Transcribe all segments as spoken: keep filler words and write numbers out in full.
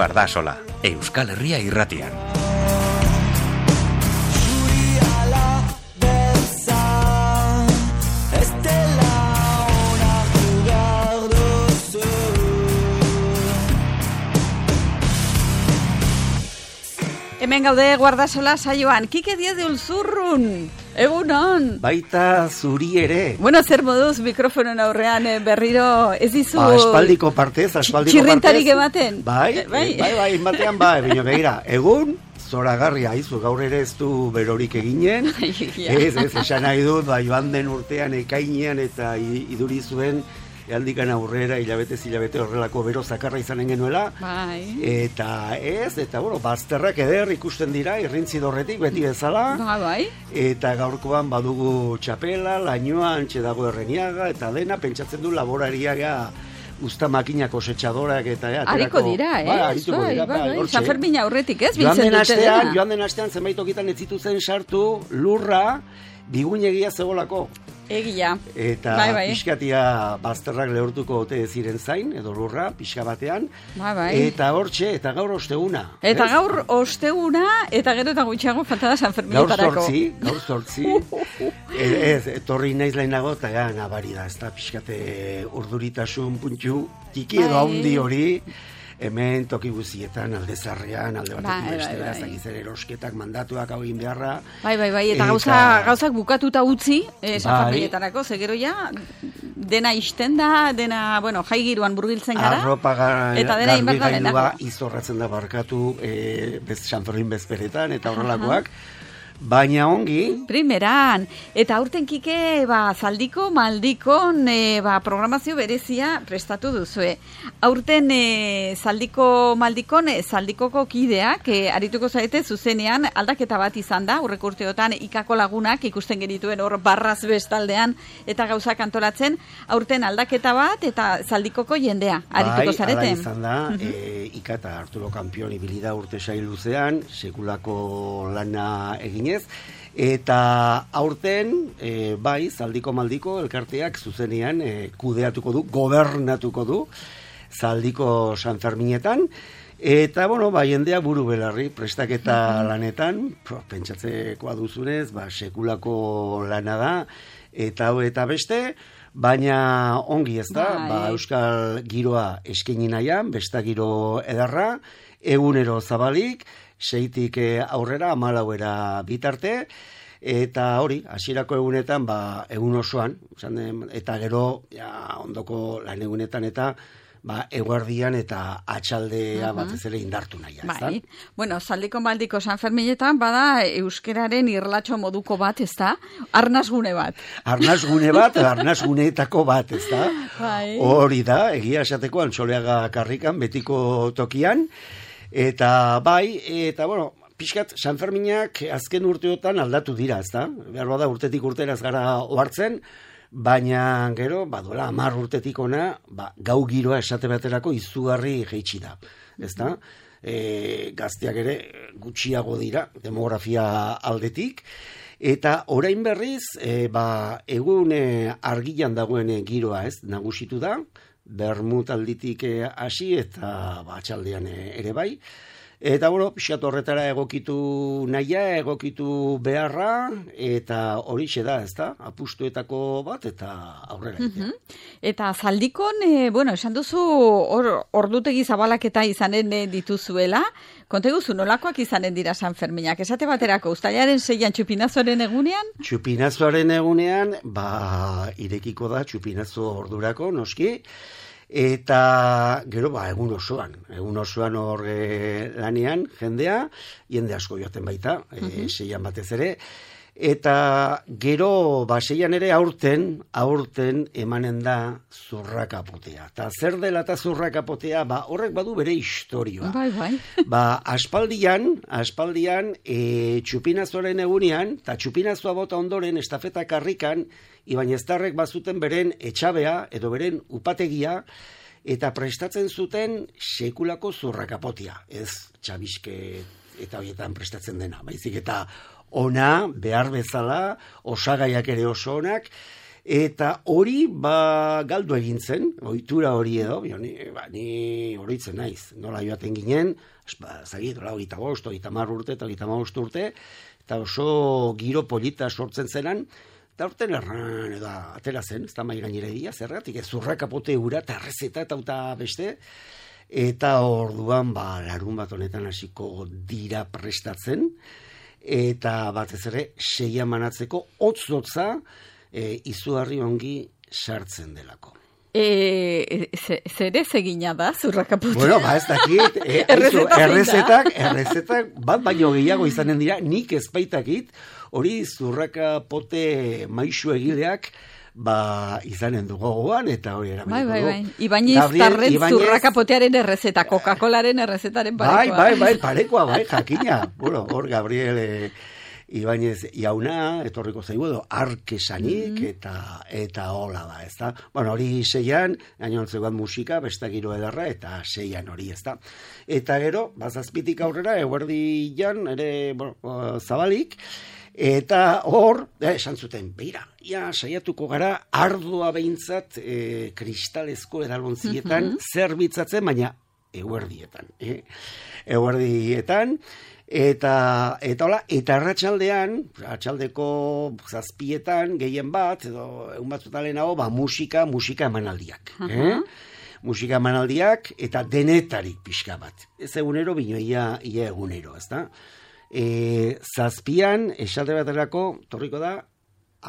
Guardasola, Euskal Herria irratian. Hemen gaude Guardasola saioan, Kike Diez de Ulzurrun, egunon. Baita zuri ere. Bueno, zer moduz mikrofonen aurrean eh, berriro ez dizu... Ba, aspaldiko partez, aspaldiko txirrintarik partez. ematen. Bai, bai, bai, bai, batean bai, baina begira, egun, zoragarria aizu, gaur ere ez du berorik eginen, ez, ez, esan nahi dut, ba, joan den urtean ekainean eta iduri zuen, handikan aurrera, hilabete, hilabete horrelako bero zakarra izanen genuela. Bai. Eta ez, eta bueno, bazterrak eder ikusten dira, irrintzi dorretik, beti bezala. Ba, bai. Eta gaurkoan badugu txapela, lainoa, antxe dago Erreniaga, eta dena pentsatzen du laborariaga usta makina kosetxadorak eta ja, Ariko dira, eh? Ba, arituko bai, dira, bai, ba, bai. hortxe. San Fermin aurretik, ez? Joan den Biltzen dute astean, dena. joan den astean zenbait tokitan ez zituzen sartu lurra biguinegia zebolako. Egia. Eta bai, bai. pixkatia bazterrak lehortuko ote ziren zain, edo lurra, pixka batean. Bai, bai. Eta hortxe, eta gaur osteguna. Eta ez? gaur osteguna, eta gero eta gutxiago falta da San Gaur Ferminetarako. zortzi, gaur zortzi. ez, ez, etorri naiz lehenago, eta ja, nabari da, ez da, pixkate urduritasun puntxu, tiki edo Bai. haundi hori, hemen toki guzietan, alde zarrean, alde Bai, batetik bai, bestera, bai. ez dakiz ere erosketak mandatuak hau egin beharra. Bai, bai, bai, eta, Eta- gauza, gauzak bukatuta utzi, eh, San Bai. Ferminetarako, ze gero ja, dena isten da, dena, bueno, jai giroan burbiltzen gara. Arropa ga- eta dena inberda garbigailua denako. izorratzen da barkatu e, bez, San Fermin bezperetan eta horrelakoak. Baina ongi, Primeran, eta aurten Kike, ba, zaldiko, maldikon, e, ba, programazio berezia prestatu duzue. Aurten e, zaldiko, maldikon, e, zaldikoko kideak, e, arituko zaite zuzenean, aldaketa bat izan da, aurreko urteotan ikako lagunak ikusten genituen hor barraz bestaldean, eta gauzak antolatzen, aurten aldaketa bat, eta zaldikoko jendea, arituko bai, zarete. ala izan da, e, Ika eta Arturo Kampion ibili da urte sail luzean, sekulako lana eginez, eta aurten, e, bai, zaldiko maldiko elkarteak zuzenean e, kudeatuko du, gobernatuko du, zaldiko San Ferminetan, eta, bueno, ba, jendea buru belarri, prestaketa lanetan, pro, pentsatzekoa duzunez, ba, sekulako lana da, eta hau eta beste, baina ongi ez da, Bai. ba, euskal giroa eskaini nahian, besta giro edarra, egunero zabalik, seitik eh, aurrera, amalauera bitarte, eta hori, hasierako egunetan, ba, egun osoan, esan den, eta gero, ja, ondoko lan egunetan, eta ba, eguardian eta atxaldea batez ere indartu nahi. Bai. Bueno, zaldiko maldiko San Ferminetan bada euskeraren irlatxo moduko bat, ez da? Arnasgune bat. Arnasgune bat, arnasguneetako bat, ez da? Bai. Hori da, egia esateko Antxoleaga karrikan, betiko tokian, eta bai, eta bueno, pixkat San Ferminak azken urteotan aldatu dira, ez da? Behar bada urtetik urtera ez gara ohartzen, baina gero, badola, hamar urtetik ona, ba, gau giroa esate baterako izugarri jeitsi da, ez da? E, gazteak ere gutxiago dira, demografia aldetik, eta orain berriz, e, ba, egun e, argilan dagoen e, giroa, ez, nagusitu da, bermut alditik e, hasi eta ba, atxaldean e, ere bai, eta, bueno, pixat horretara egokitu nahia, egokitu beharra, eta horixe da, ez da, apustuetako bat, eta aurrera. Mhm. Eta zaldikon, e, bueno, esan duzu hor ordutegi zabalaketa izanen e, dituzuela, konte guzu, nolakoak izanen dira San Ferminak? Esate baterako, uztailaren seian txupinazoaren egunean? Txupinazoaren egunean, ba, irekiko da txupinazo ordurako, noski, eta gero ba egun osoan, egun osoan hor e, lanean jendea, jende asko joaten baita, e, seian batez ere, eta gero ba seian ere aurten, aurten emanen da zurrakapotea. Ta zer dela eta zurrakapotea, ba horrek badu bere historioa. Bai, bai. Ba, aspaldian, aspaldian, e, txupinazoaren egunean, eta txupinazoa bota ondoren, estafeta karrikan, Ibañeztarrek bazuten beren etxabea, edo beren upategia, eta prestatzen zuten sekulako zurrakapotia. Ez txabiske eta horietan prestatzen dena, baizik eta ona, behar bezala, osagaiak ere oso onak, Eta hori, ba, galdu egin zen, ohitura hori edo, bio, ni, ba, ni horitzen naiz, nola joaten ginen, ba, zagit, hola, hogeita bost, hogeita hamar urte, eta hogeita hamabost urte, eta oso giro polita sortzen zenan, eta urten erran, edo, atera zen, ez da mai gainera edia, zergatik, ez zurrakapote ura, eta errezeta, eta uta beste, eta orduan, ba, larun bat honetan hasiko dira prestatzen, eta batez ere, seia manatzeko, hotz-hotza, E, izugarri ongi sartzen delako. E, zer ez egina da, zurrakapote? Bueno, ba ez dakit, e, errezetak, errezetak bat baino gehiago izanen dira, nik ezbaitakit, hori zurrakapote maixu egileak, ba, izanen du gogoan, eta hori eramaniko bai, bai, bai. du. Ibaiñez tarren zurrakapotearen errezeta, Coca-Colaren errezetaren parekoa. Bai, bai, bai, parekoa, bai, jakina. Bueno, hor, Gabriel... E, Ibaiñez jauna, etorriko zaigu edo, arkesanik, mm. eta eta hola da, ez da? Bueno, hori seian, gainontzegoan musika, besta giro edarra, eta seian hori, ez da? Eta gero, bazazpitik aurrera, eguerdi jan, ere, bueno, zabalik, eta hor, eh, esan zuten, beira, ja, saiatuko gara, ardua behintzat, e, kristalezko edalontzietan, mm-hmm. zerbitzatzen, baina eguerdietan, eh? Eguerdietan, Eta, eta hola, eta arratsaldean, arratsaldeko zazpietan, gehien bat, edo egun batzutan lehenago, ba, musika, musika emanaldiak. Uh-huh. eh? Musika emanaldiak, eta denetarik pixka bat. Ez egunero, bino ia, ia egunero, ez da? E, zazpian, esate baterako, torriko da,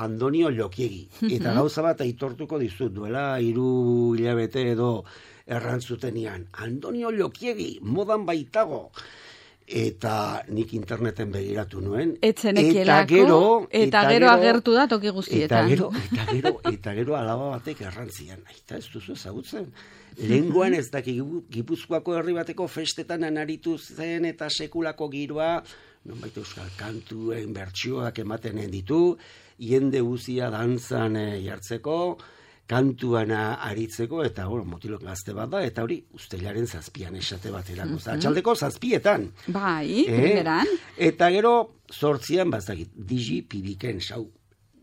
Andonio Lokiegi. Eta gauza bat aitortuko dizut, duela hiru hilabete edo errantzutenian. Andonio Lokiegi, modan baitago. Eta nik interneten begiratu nuen. Etzenekielako, eta gero, eta, eta gero agertu da toki guztietan. Eta gero, eta gero, eta gero alaba batek errantzian. Aita, ez duzu ezagutzen. Lehenguan ez daki Gipuzkoako herri bateko festetan anaritu zen eta sekulako giroa, nonbait euskal kantuen bertsioak ematen ditu, jende guzia dantzan e, jartzeko, kantuana aritzeko, eta bueno, motilok gazte bat da, eta hori ustelaren zazpian esate baterako. Mm-hmm. Atxaldeko zazpietan. Bai, eh? Primeran. Eta gero, zortzian, bazakit, digi pibiken sau.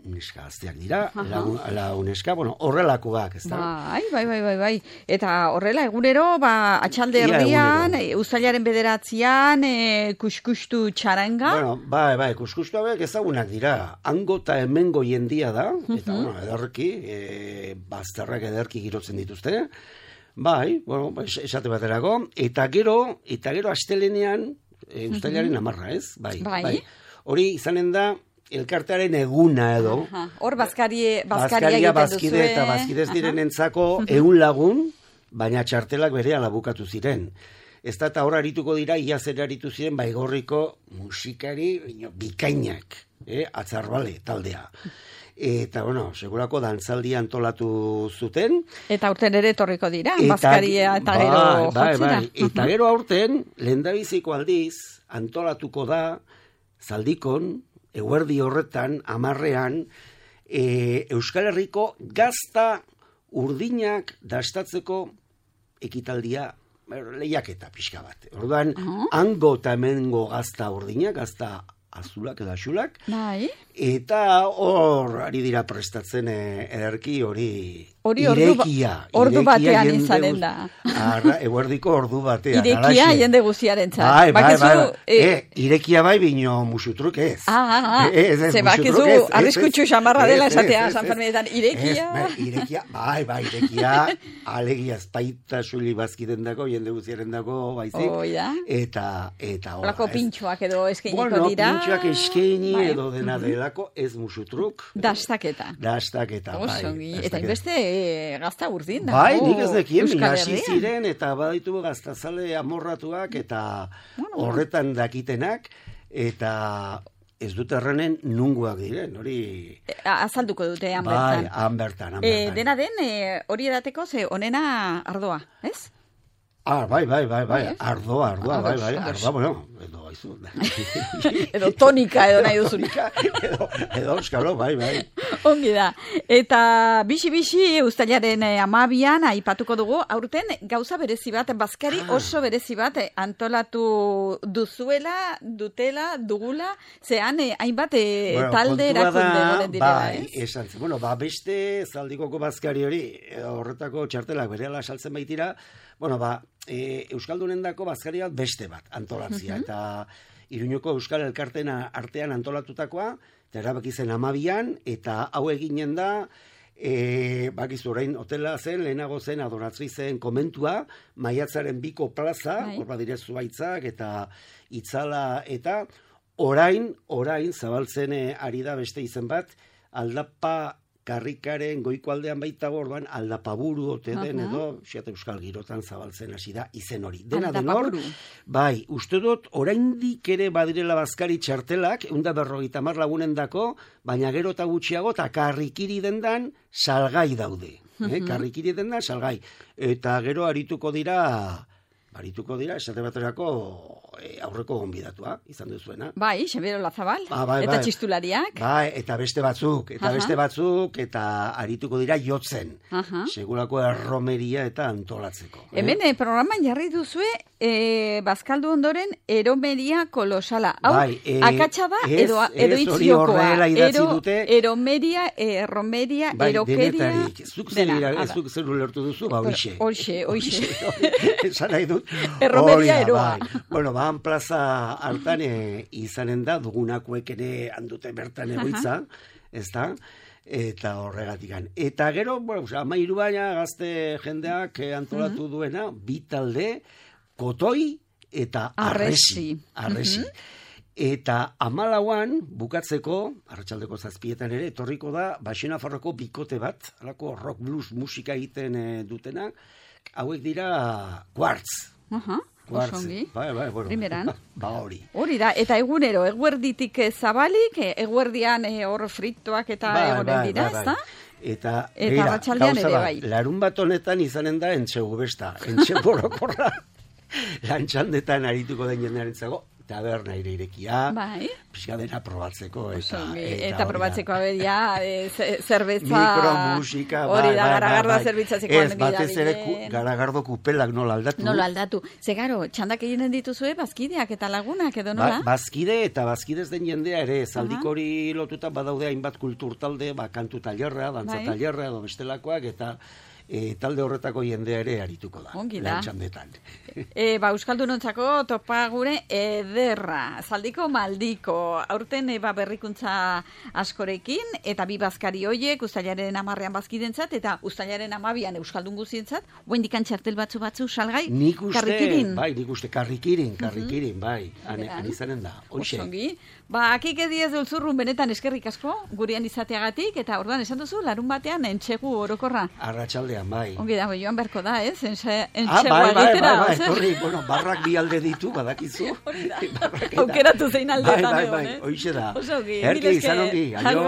Uneska gazteak dira, la, la uneska, bueno, horrelakoak, ez da? Bai, bai, bai, bai, bai. Eta horrela, egunero, ba, atxalde erdian, e, uztailaren bederatzean, e, kuskustu txaranga. Bueno, bai, bai, kuskustu hauek ezagunak dira. Hango eta hemengo jendia da, eta, bueno, ederki, e, bazterrak ederki girotzen dituzte. Bai, bueno, esate baterako. Eta gero, eta gero astelenean, e, uztailaren amarra, ez? Bai, bai. bai. Hori izanen da, elkartearen eguna edo. Hor bazkaria, bazkaria bazkide eta bazkidez direnentzako ehun lagun, baina txartelak berehala bukatu ziren. Ez da eta hor arituko dira, ia zer aritu ziren baigorriko musikari bikainak, eh? Atzarbale taldea. Eta, bueno, segurako dantzaldi antolatu zuten. Eta aurten ere etorriko dira, bazkaria eta gero bai, bai, bai. Eta gero aurten, lehendabiziko aldiz, antolatuko da, Zaldikon, eguerdi horretan, amarrean, e, Euskal Herriko gazta urdinak dastatzeko ekitaldia, lehiaketa pixka bat. Orduan, uh-huh. hango eta hemengo gazta urdinak, gazta azulak edo axulak, bai. Eta hor ari dira prestatzen ederki hori Hori irekia. Ordu batean izanen da. Arra, eguerdiko ordu batean. Irekia alaxe. Jende guziaren txat. Bai, bai, bai. bai. E, e, irekia bai bino musutruk ez. Ah, ah, ah. Ez, ez, ze bakizu arriskutsu xamarra dela esatea San Ferminetan. Irekia. Ez, irekia, bai, bai, irekia. Alegia espaita suli bazkiden dako, jende guziaren dako, baizik. Oh, ja. Eta, eta hola. Olako pintxoak edo eskeniko bueno, dira. Bueno, pintxoak eskeni bai. Edo dena delako, ez musutruk. Dastaketa. Dastaketa, bai. Osongi. Eta inbeste gazta urdin da. Bai, nik ez dekien, hasi ziren, eta baditu gaztazale amorratuak, eta bueno, horretan dakitenak, eta ez dut erranen nunguak diren, hori... Azalduko dute, han bertan. Bai, han bertan, han E, bertan. dena den, e, hori edateko, ze onena ardoa, ez? Ah, bai, bai, bai, bai, ardoa, ardoa, bai, bai, ardoa, bueno, edo goizu. Edo tonika edo nahi duzun. edo, edo euskalo, bai, bai. Ongi da. Eta bixi-bixi uztailaren amabian aipatuko dugu, aurten gauza berezi bat, bazkari oso berezi bat antolatu duzuela, dutela, dugula, zehan eh, hainbat eh, bueno, talde erakunde goren direla, bai, ez? Esan, bueno, ba, beste zaldikoko bazkari hori, horretako txartelak berehala saltzen baitira, bueno, ba, e, Euskaldunendako bazkari bat beste bat antolatzia, uh -huh. eta Iruñeko Euskal Elkartena artean antolatutakoa, eta erabaki zen amabian, eta hau eginen da, e, bakizu orain hotela zen, lehenago zen, adoratzi zen komentua, Maiatzaren biko plaza, hor badire Zuhaitzak, eta Itzala, eta orain, orain, zabaltzen e, ari da beste izen bat, Aldapa Karrikaren goiko aldean baita orduan Aldapaburu ote den edo Xiat Euskal Girotan zabaltzen hasi da izen hori. Dena denor, bai, uste dut oraindik ere badirela bazkari txartelak, ehun eta berrogeita hamar lagunendako, baina gero eta gutxiago eta karrikiri dendan salgai daude. eh? Karrikiri dendan salgai. Eta gero arituko dira... Arituko dira, esate baterako e, aurreko gonbidatua, izan duzuena. Bai, Xabero Lazabal, ba, bai, eta bai. Txistulariak. Bai, eta beste batzuk, eta Aha. beste batzuk, eta arituko dira jotzen. Aha. Segurako erromeria eta antolatzeko. Eh? Hemen eh, programan jarri duzue, eh, bazkaldu ondoren, eromeria kolosala. Hau, bai, eh, akatsa da, ez, edo, edo ez, itziokoa. Ero, dute. Eromeria, erromeria, bai, erokeria. Denetarik. Zuk zuk zer ulertu duzu, ba, hoixe. Hoixe, hoixe. Esan nahi dut. Erromeria eroa. Bai. Bueno, ba, plaza hartan e, izanen da, dugunakoek ere handute bertan egoitza, ez da? Eta horregatikan. Eta gero, bueno, amairu baina gazte jendeak antolatu uh-huh. duena, bi talde, Kotoi eta Arresi. Arresi. Uh-huh. Eta amalauan, bukatzeko, arratsaldeko zazpietan ere, etorriko da, Baxenafarroko bikote bat, alako rock blues musika egiten e, dutena, hauek dira Quartz. Aha, osongi. Bai, bai, bueno. Primeran. Ba, hori. Hori da, eta egunero, eguerditik zabalik, eguerdian hor fritoak eta bai, egonen bai, dira, bai, bai. ezta? Eta, eta arratsaldean ere, bai. Larun bat honetan izanen da entxegu besta, entxegu borokorra, lantxandetan arituko den jendearen zago, taberna ere irekia, bai. Pixka dena probatzeko. Eta, eta, eta probatzeko aberia, e, zerbeza... Mikromusika, bai, hori da, bai, garagardoa bai, zerbitzatzeko. Ez, batez ere garagardo kupelak nola aldatu. Nola aldatu. Zegaro, txandak eginen dituzue, bazkideak eta lagunak edo nola? Ba, bazkide eta bazkidez den jendea ere, zaldik hori lotuta badaude hainbat kulturtalde, ba, kantu tailerra, dantza tailerra, edo bestelakoak, eta... E, talde horretako jendea ere arituko da. Ongi da. Lantxandetan. E, ba, Euskaldunontzako topa gure ederra. Zaldiko maldiko. Aurten e, ba, berrikuntza askorekin, eta bi bazkari hoiek, uztailaren amarrean bazkidentzat, eta uztailaren amabian Euskaldun guzientzat, guendikan txartel batzu batzu salgai, nik uste, karrikirin. Bai, nik uste karrikirin, karrikirin, bai. Han izanen da. Hoxe. Osongi. Ba, akik ediez dulzurrun benetan eskerrik asko, gurean izateagatik, eta orduan esan duzu, larun batean entxegu orokorra. Arratsaldean, bai. Ongi da, joan beharko da, ez? Entxegua ah, bai, bai, egitera. Bai, bai, horri, bueno, barrak bi alde ditu, badakizu. Hori da, aukeratu zein aldetan egon, eh? Bai, bai, bai, hoixe da. Oso ongi, Erki, izan ongi, aio.